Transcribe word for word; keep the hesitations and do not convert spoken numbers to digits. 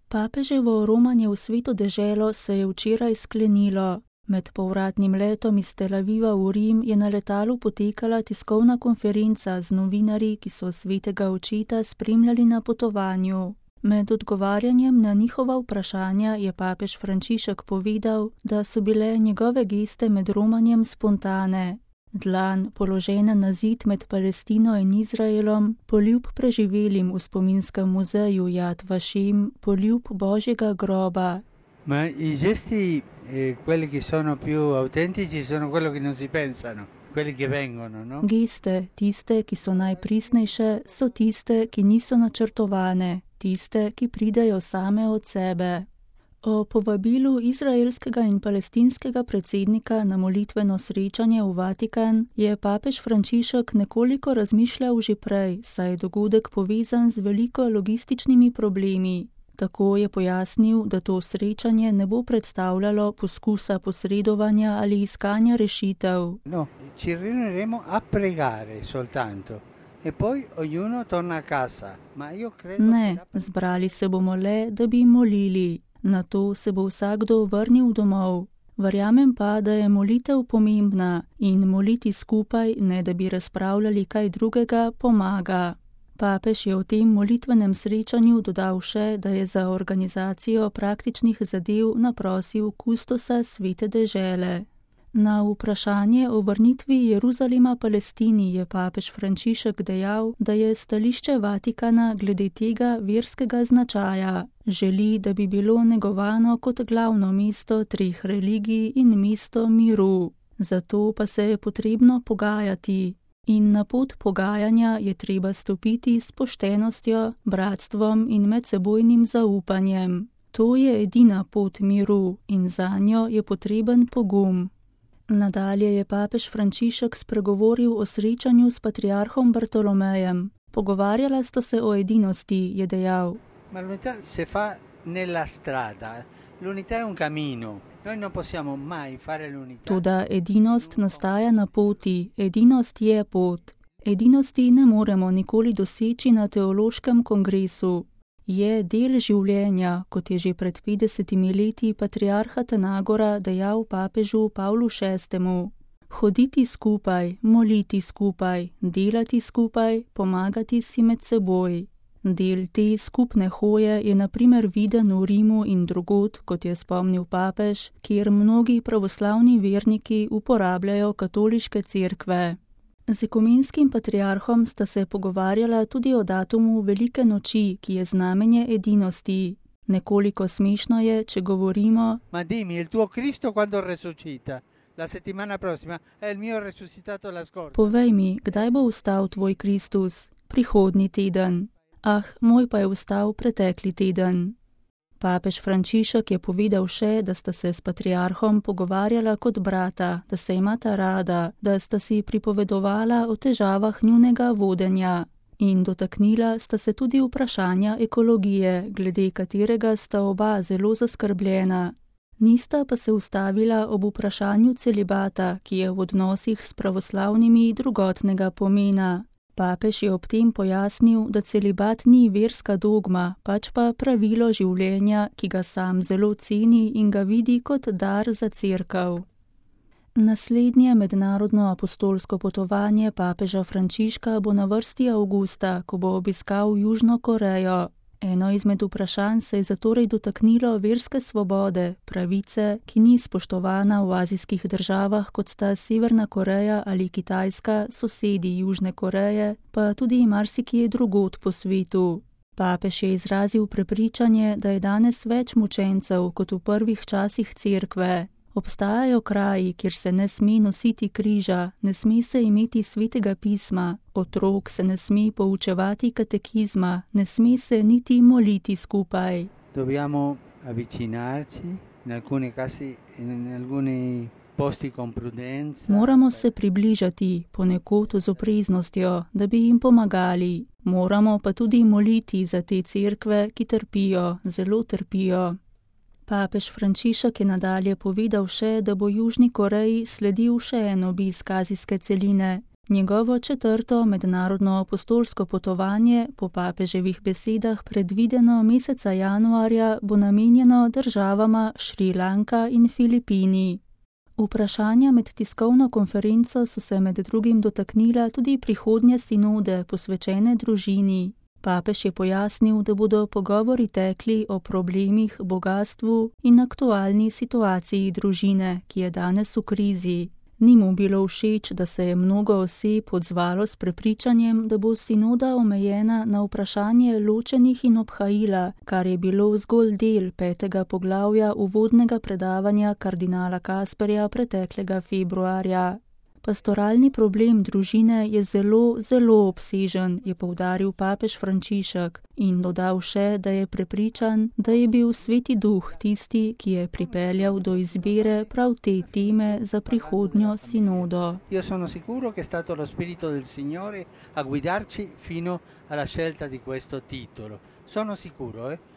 Papeževo romanje v sveto deželo se je včeraj sklenilo. Med povratnim letom iz Tel Aviva v Rim je na letalu potekala tiskovna konferenca z novinarji, ki so svetega očeta spremljali na potovanju. Med odgovarjanjem na njihova vprašanja je papež Frančišek povedal, da so bile njegove geste med romanjem spontane. Dlan, položena na zid med Palestino in Izraelom, poljub preživelim v spominskem muzeju Yad Vashem, poljub Božjega groba. Ma i gesti, eh, quelli che sono più autentici, sono quelli che non si pensano, quelli che vengono, no? Geste, tiste, ki so najpristnejše, so tiste, ki niso načrtovane, tiste, ki pridejo same od sebe. O povabilu izraelskega in palestinskega predsednika na molitveno srečanje v Vatikan je papež Frančišek nekoliko razmišljal že prej, saj je dogodek povezan z veliko logističnimi problemi. Tako je pojasnil, da to srečanje ne bo predstavljalo poskusa posredovanja ali iskanja rešitev. No, ci riuniremo a pregare soltanto. E poi ognuno torna a casa. Ma io credo Ne, zbrali se bomo le, da bi molili. Nato se bo vsakdo vrnil domov. Verjamem pa, da je molitev pomembna in moliti skupaj, ne da bi razpravljali kaj drugega, pomaga. Papež je v tem molitvenem srečanju dodal še, da je za organizacijo praktičnih zadev naprosil kustosa svete dežele. Na vprašanje o vrnitvi Jeruzalema Palestini je papež Frančišek dejal, da je stališče Vatikana glede tega verskega značaja. Želi, da bi bilo negovano kot glavno mesto treh religij in mesto miru. Zato pa se je potrebno pogajati. In na pot pogajanja je treba stopiti s poštenostjo, bratstvom in medsebojnim zaupanjem. To je edina pot miru in zanjo je potreben pogum. Nadalje je papež Frančišek spregovoril o srečanju s patriarhom Bartolomejem. Pogovarjala sta se o edinosti, je dejal. Ma l'unità se fa nella strada. L'unità è un cammino. Noi non possiamo mai fare l'unità. Toda edinost nastaja na poti, edinost je pot. Edinosti ne moremo nikoli doseči na teološkem kongresu. Je del življenja, kot je že pred petdesetimi leti patriarh Atanagora dejal papežu Pavlu šestemu. Hoditi skupaj, moliti skupaj, delati skupaj, pomagati si med seboj. Del te skupne hoje je na primer viden v Rimu in drugod, kot je spomnil papež, kjer mnogi pravoslavni verniki uporabljajo katoliške cerkve. Z ekumenskim patriarhom sta se pogovarjala tudi o datumu Velike noči, ki je znamenje edinosti. Nekoliko smešno je, če govorimo: Ma dimmi, il tuo Cristo quando resuscita? La settimana prossima è il mio resuscitato la scorsa. Povej mi, kdaj bo vstal tvoj Kristus? Prihodnji teden. Ah, moj pa je vstal pretekli teden. Papež Frančišek je povedal še, da sta se s patriarhom pogovarjala kot brata, da se imata rada, da sta si pripovedovala o težavah njunega vodenja. In dotaknila sta se tudi vprašanja ekologije, glede katerega sta oba zelo zaskrbljena. Nista pa se ustavila ob vprašanju celibata, ki je v odnosih s pravoslavnimi drugotnega pomena. Papež je ob tem pojasnil, da celibat ni verska dogma, pač pa pravilo življenja, ki ga sam zelo ceni in ga vidi kot dar za cerkev. Naslednje mednarodno apostolsko potovanje papeža Frančiška bo na vrsti avgusta, ko bo obiskal Južno Korejo. Eno izmed vprašanj se je zatorej dotaknilo verske svobode, pravice, ki ni spoštovana v azijskih državah, kot sta Severna Koreja ali Kitajska, sosedi Južne Koreje, pa tudi marsikje drugod po svetu. Papež je izrazil prepričanje, da je danes več mučencev kot v prvih časih cerkve. Obstajajo kraji, kjer se ne sme nositi križa, ne sme se imeti svetega pisma, otrok se ne sme poučevati katekizma, ne sme se niti moliti skupaj. Dobbiamo avvicinarci, in alcuni casi, in alcuni posti con prudenza. Moramo se približati, ponekod z opreznostjo, da bi jim pomagali. Moramo pa tudi moliti za te cerkve, ki trpijo, zelo trpijo. Papež Frančišek je nadalje povedal še, da bo Južni Koreji sledil še en obisk azijske celine. Njegovo četrto mednarodno apostolsko potovanje, po papeževih besedah predvideno meseca januarja, bo namenjeno državama Šrilanka in Filipini. Vprašanja med tiskovno konferenco so se med drugim dotaknila tudi prihodnje sinode, posvečene družini. Papež je pojasnil, da bodo pogovori tekli o problemih, bogastvu in aktualni situaciji družine, ki je danes v krizi. Ni mu bilo všeč, da se je mnogo oseb odzvalo s prepričanjem, da bo sinoda omejena na vprašanje ločenih in obhajila, kar je bilo zgolj del petega poglavja uvodnega predavanja kardinala Kasperja preteklega februarja. Pastoralni problem družine je zelo, zelo obsežen, je poudaril papež Frančišek in dodal še, da je prepričan, da je bil Sveti Duh tisti, ki je pripeljal do izbire prav te teme za prihodnjo sinodo. Io sono sicuro che è stato lo Spirito del Signore a guidarci fino alla scelta di questo titolo. Sono sicuro, eh?